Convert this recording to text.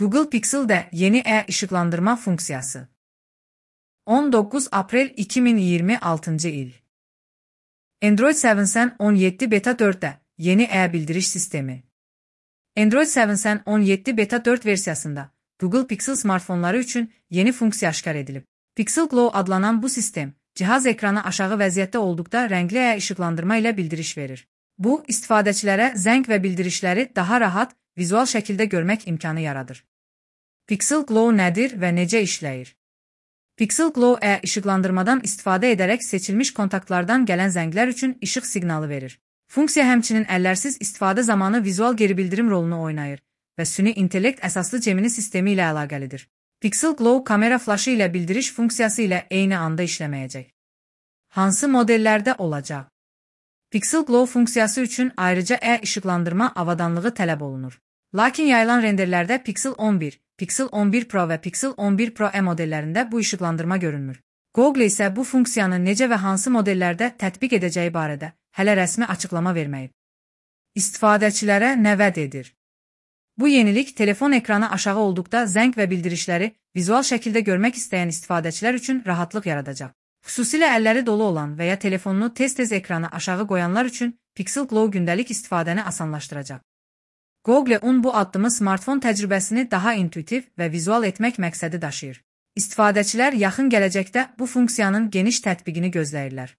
Google Pixel'de yeni e-ışıklandırma funksiyası. 19 April 2026 il. Android 7 17 Beta 4'te yeni e-bildiriş sistemi. Android 7 17 Beta 4 versiyasında Google Pixel smartfonları üçün yeni funksiya aşkar edilib. Pixel Glow adlanan bu sistem, cihaz ekranı aşağı vəziyyətdə olduqda rəngli e-ışıqlandırma ilə bildiriş verir. Bu, istifadəçilərə zəng və bildirişləri daha rahat, vizual şəkildə görmək imkanı yaradır. Pixel Glow nədir və necə işləyir? Pixel Glow e-ışıqlandırmadan istifadə edərək seçilmiş kontaktlardan gələn zənglər üçün işıq siqnalı verir. Funksiya həmçinin əllərsiz istifadə zamanı vizual geri bildirim rolunu oynayır və süni intellekt əsaslı Gemini sistemi ilə əlaqəlidir. Pixel Glow kamera flaşı ilə bildiriş funksiyası ilə eyni anda işləməyəcək. Hansı modellərdə olacaq? Pixel Glow funksiyası üçün ayrıca e-ışıqlandırma avadanlığı tələb olunur. Lakin yayılan renderlərdə Pixel 11, Pixel 11 Pro və Pixel 11 Pro E modellərində bu işıqlandırma görünmür. Google isə bu funksiyanı necə və hansı modellərdə tətbiq edəcəyi barədə hələ rəsmi açıqlama verməyib. İstifadəçilərə nə vəd edir? Bu yenilik telefon ekranı aşağı olduqda zəng və bildirişləri vizual şəkildə görmək istəyən istifadəçilər üçün rahatlıq yaradacaq. Xüsusilə əlləri dolu olan və ya telefonunu tez-tez ekranı aşağı qoyanlar üçün Pixel Glow gündəlik istifadəni asanlaşdıracaq. Google bu addımı smartfon təcrübəsini daha intuitiv və vizual etmək məqsədi daşıyır. İstifadəçilər yaxın gələcəkdə bu funksiyanın geniş tətbiqini gözləyirlər.